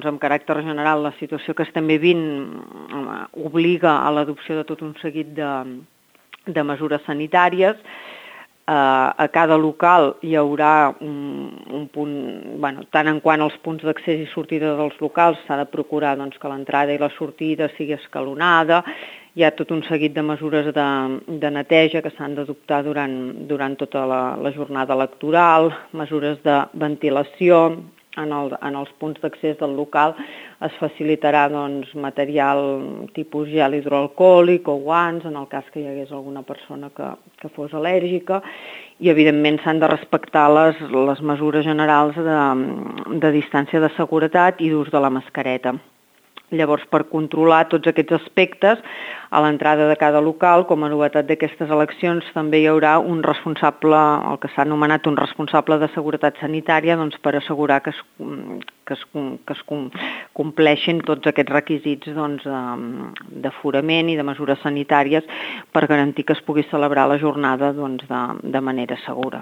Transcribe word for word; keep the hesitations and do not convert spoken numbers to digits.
doncs, amb caràcter general, la situació que estem vivint obliga a l'adopció de tot un seguit de, de mesures sanitàries. A cada local hi haurà un, un punt, bueno, tant en quant als punts d'accés i sortida dels locals s'ha de procurar doncs, que l'entrada i la sortida sigui escalonada. Hi ha tot un seguit de mesures de, de neteja que s'han d'adoptar durant, durant tota la, la jornada electoral, mesures de ventilació. En, el, en els punts d'accés del local es facilitarà doncs, material tipus gel hidroalcohòlic o guants en el cas que hi hagués alguna persona que, que fos al·lèrgica, i evidentment s'han de respectar les, les mesures generals de, de distància de seguretat i d'ús de la mascareta. Llavors, per controlar tots aquests aspectes, a l'entrada de cada local, com a novetat d'aquestes eleccions, també hi haurà un responsable, el que s'ha anomenat un responsable de seguretat sanitària, doncs, per assegurar que es, que es, que es compleixin tots aquests requisits doncs, d'aforament i de mesures sanitàries per garantir que es pugui celebrar la jornada doncs, de, de manera segura.